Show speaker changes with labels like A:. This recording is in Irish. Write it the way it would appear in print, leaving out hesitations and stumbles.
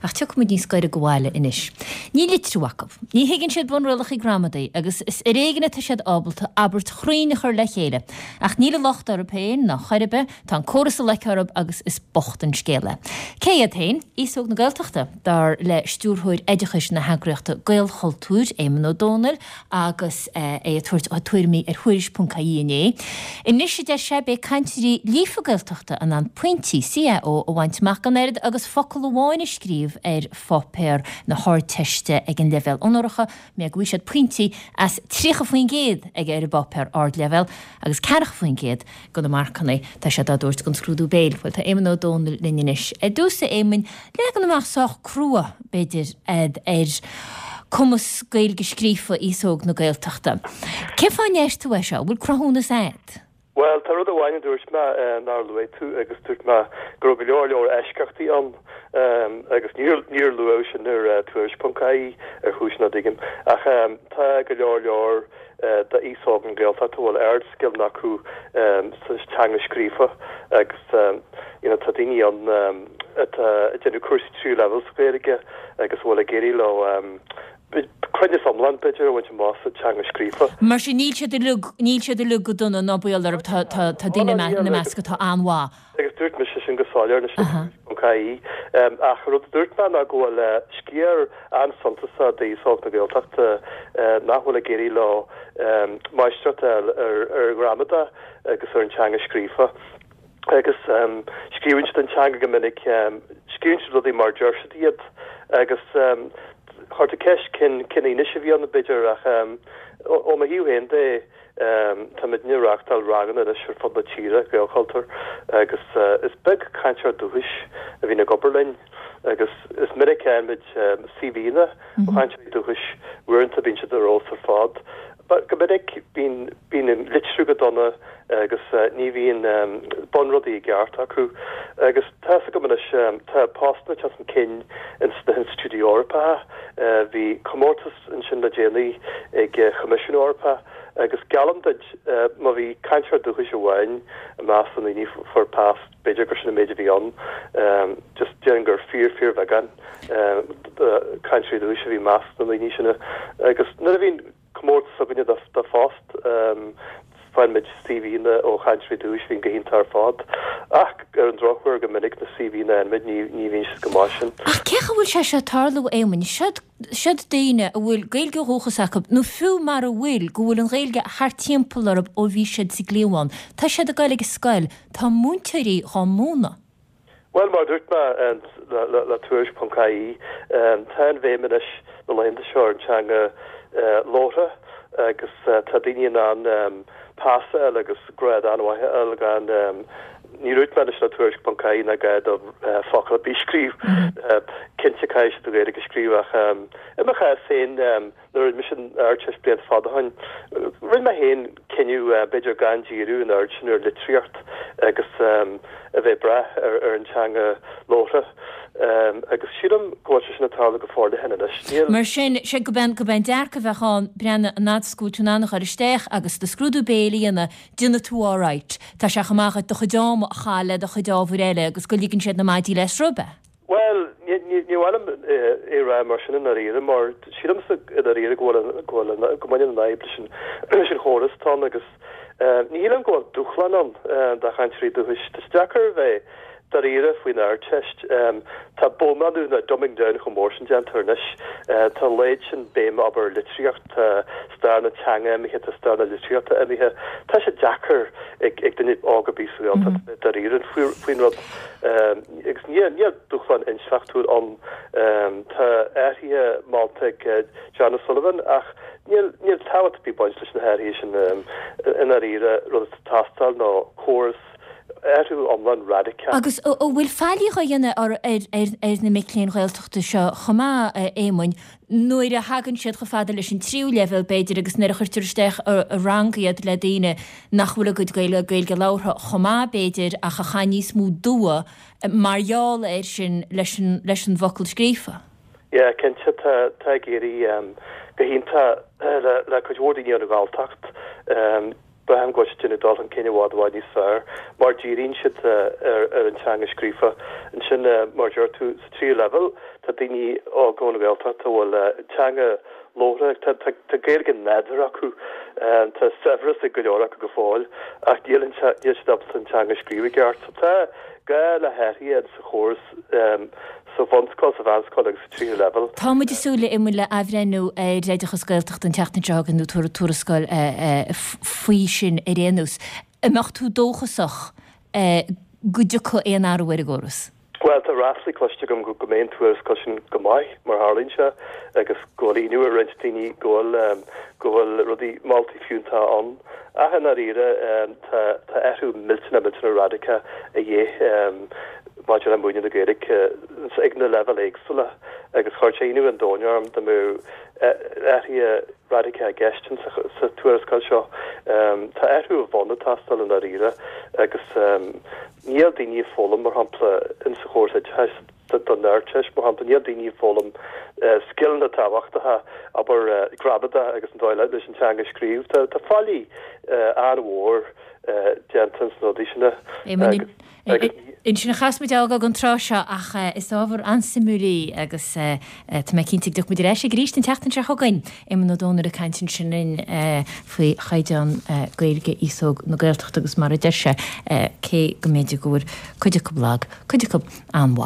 A: Ach tiocfaidh muid níos gaire go bhaile anois. Níl litriú acu. Ní thuigeann siad bunrialacha gramadaí agus is ar éigean atá siad ábalta abairt chruinn a chur le chéile. Ach níl an locht orthu féin ná chor ar bith, tá an córas ag loiceadh orthu agus is bocht an scéal é. Cé iad féin? Aos óg na Gaeltachta, dar le Stiúrthóir Oideachais na heagraíochta Gaelchultúr, Éamonn Ó Dónaill, agus é ag tabhairt a tuairimí ar Thuairisc.ie inné. Anois, a deir sé, beidh cainteoirí líofa Gaeltachta in ann pointí CAO a bhaint amach gan oiread agus focal amháin a scríobh ar pháipéar na hArdteiste ag an leibhéal onóracha, mé go bhfaighidh siad pointí as 30% ag ar an bpáipéar Ardleibhéal agus 40% de na marcanna tá siad á dtabhairt don scrúdú béil. Bhuel, tá Éamonn Ó Dónaill linn anois. Ar dtús, a Éamoinn, leagan amach sách crua, b'fhéidir, ar cumas Gaeilge scríofa aos óg na Gaeltachta. Cén fáth a ndeir tú é seo? An bhfuil cruthúnas a'd?
B: Bhuel, tá rud amháin a dúirt mé nár luaigh tú agus dúirt mé go raibh go leor leor eisceachtaí ann agus níor níor luadh sin ar Tuairisc.ie ar chúis nach dtuigim ach tá go leor leor d'aos óg na Gaeltachta a bhfuil ardscileanna acu sa teanga scríofa agus you know tá daoine ann atá ag déanamh cúrsaí tríú leibhéal sa Ghaeilge agus a bhfuil ag éirí leo cruinneas iomlán b'fhéidir a bhaint amach sa teanga scríofa.
A: Mar sin níl siad uilig, níl siad uilig go dona ná baol orthu, tá, tá, tá daoine ina measc atá an-mhaith.
B: Agus dúirt mise sin go soiléir anois ar Tuairisc.ie. Ach an rud a dúirt mé ná go bhfuil sciar an-suntasach d'aos óg na Gaeltachta nach bhfuil ag éirí leo máistreacht a fháil ar ghramadach agus ar an teanga scríofa. Agus scríobhann siad an teanga go minic, scríobhann siad rudaí mar a deir siad iad. Agus chuir tú ceist cén fhianaise a bhí ann, b'fhéidir, ach ó mo thaobh féin de, Táimidne ag reáchtáil ranganna anois ar fud na tíre, Gaelchultúr, agus is beag cainteoir dúchais a bhíonn ag obair linn agus is minic a fhaigheann muid CVanna ó chainteoirí dúchais, uaireanta bíonn siad ar fheabhas ar fad. But go minic bíonn bíonn an litriú go dona agus ní bhíonn bunrudaí i gceart acu. Agus tá fhios agam anois, tá postanna ag teacht chun cinn ins na hinstitiúidí Eorpacha, bhí comórtas ansin le déanaí ag Coimisiún Eorpach agus geallaim duit má bhí cainteoir dúchais amháin i measc na ndaoine a fuair post, b'fhéidir gur sin an méid a bhí ann, just déarfainn gur fíor fíorbheagán cainteoirí dúchais a bhí i measc na ndaoine sin agus nuair a bhíonn comórtas againne do phost, Faigheann muid CVanna ó chainteoirí dúchais a bhíonn go hiontach ar fad, ach ar an drochuair go minic na CVanna a fhaigheann muid ní ní bhíonn siad go maith sin.
A: Ach cén chaoi a bhfuil sé seo ag tarlú, a Éamoinn? Siod, siod daoine a bhfuil Gaeilge ó dhúchas acu, nó fiú mara bhfuil, go bhfuil an Ghaeilge thart timpeall orthu ó bhí siad sa gcliabhán. Tá siad ag goil ag an scoil, tá múinteoirí dhá múineadh.
B: Bhuel, mar a dúirt mé le Tuairisc.ie, tá an bhéim anois na laethanta seo ar an teanga labhartha agus tá daoine in ann pas a fháil agus grád an-mhaith a fháil gan, ní dúirt mé anois le Tuairisc.ie nach gá dóibh focal ar bith a scríobh. Cinnte caithfidh siad an Ghaeilge a scríobh ach i mo chás féin, Nuair a rinne mise an Ardteist blianta fada ó shin, rinne mé féin cinneadh b'fhéidir gan díriú an oiread sin ar litríocht agus a bheith ag brath ar an teanga labhartha agus sílim go bhfuil sé sin ag tarlú go forleathan anois.
A: Níl. Mar sin, sé gurb é an dearcadh a bheadh ann, breathnaigh, an fhad is go bhfuil tú in ann a dhul isteach agus do scrúdú béil a dhéanamh, déanfaidh tú alright. Tá sé chomh maith dhuit do chuid ama a chaitheamh le do chuid ábhair eile agus go ligeann siad na maidí le sruth, ab ea?
B: Bhuel, ní maith liom é a rá mar sin i ndáiríre, mar sílimse i ndáiríre go bhfuil, go bhfuil, go mbaineann an fhadhb leis an, leis an chóras atá ann agus ní shílim go bhfuil dúshlán ann do chainteoirí dúchais. Tá sé deacair a bheith dáiríre faoin Ardteist. Tá bonnánú nó dumbing down chomh mór sin déanta anois. Tá an oiread sin béime abair ar litríocht, tá stair na teanga imithe, tá stair na litríochta imithe. Tá sé deacair ag duine óg ar bith sa Ghaeltacht a bheith dáiríre faoin rud. Agus níl dúshlán intleachtúil ann. Tá athruithe molta ag John O'Sullivan ach níl tábhacht ar bith ag baint leis na hathruithe sin i ndáiríre. Rud atá ag teastáil ná córas, athrú iomlán raidiceach.
A: Agus an bhfuil faillí á dhéanamh ar na mic léinn Ghaeltachta seo chomh maith, a Éamoinn, nuair a thagann siad chomh fada leis an tríú leibhéal, b'fhéidir, agus nuair a chuirtear isteach i rang iad le daoine nach bhfuil a gcuid Gaeilge labhartha chomh maith, b'fhéidir, ach a chaith níos mó dua mar gheall air sin leis an leis an bhfocal scríofa.
B: Yeah, cinnte, tá tá ag éirí go hiontach le le cuid mhór daoine ón Ghalltacht. Braithim go bhfuil siad ag déanamh dul chun cinn i bhfad i bhfad níos fearr mar díríonn siad ar an teanga scríofa. Ansin, mar a deir tú, sa tríú leibhéal, tá daoine óga ón Ghaeltacht a bhfuil teanga labhartha, tá Gaeilge nádúrtha acu, tá saibhreas ag go leor acu go fóill ach níl siad ábalta an teanga a scríobh i gceart. So tá gá le hathruithe sa chóras sa bhunscoil, sa mheánscoil agus sa tríú leibhéal.
A: Tá muid ag súil, a Éamoinn, le athbhreithniú ar oideachas Gaeltachta an tseachtain seo chugainn nó tuarascáil faoi sin ar aon nós. An mbeadh tú dóchasach go dtiocfaidh aon athrú ar an gcóras?
B: Bhuel, tá ráflaí cloiste agam go mbeidh an tuarascáil sin go maith, mar tharlaíonn sé, agus go bhfuil ionadh ar roinnt daoine go bhfuil go bhfuil rudaí, moltaí fiúntacha ann. Ach i ndáiríre, tá tá athrú millteanach millteanach radacach a dhíth maidir le múineadh na Gaeilge ag na leibhéil éagsúla agus chuirfeadh sé ionadh an domhain orm dá mbeadh athruithe radacacha i gceist sa tuarascáil seo. Tá athrú ó bhonn ag teastáil i ndáiríre agus níl daoine ag foghlaim, mar shampla, in sa chóras oideachais don Ardteist, mar shampla, níl daoine ag foghlaim scileanna tábhachtacha, abair, gramadach agus an dóigh leis an teanga a scríobh. Tá faillí an-mhór déanta ins na rudaí sin
A: agus. Ansin a chaithfeas muid a fhágáil don tráth seo ach is ábhar an-suimiúil í agus tá mé cinnte go dtiocfaidh muid ar ais air arís an tseachtain seo chugainn. Éamonn Ó Dónaill ag caint ansin linn faoi chaighdeán Gaeilge aos óg na Gaeltachta agus mar a deir sé, cé go mb'fhéidir go bhfuil cuid acu lag, cuid acu an-mhaith.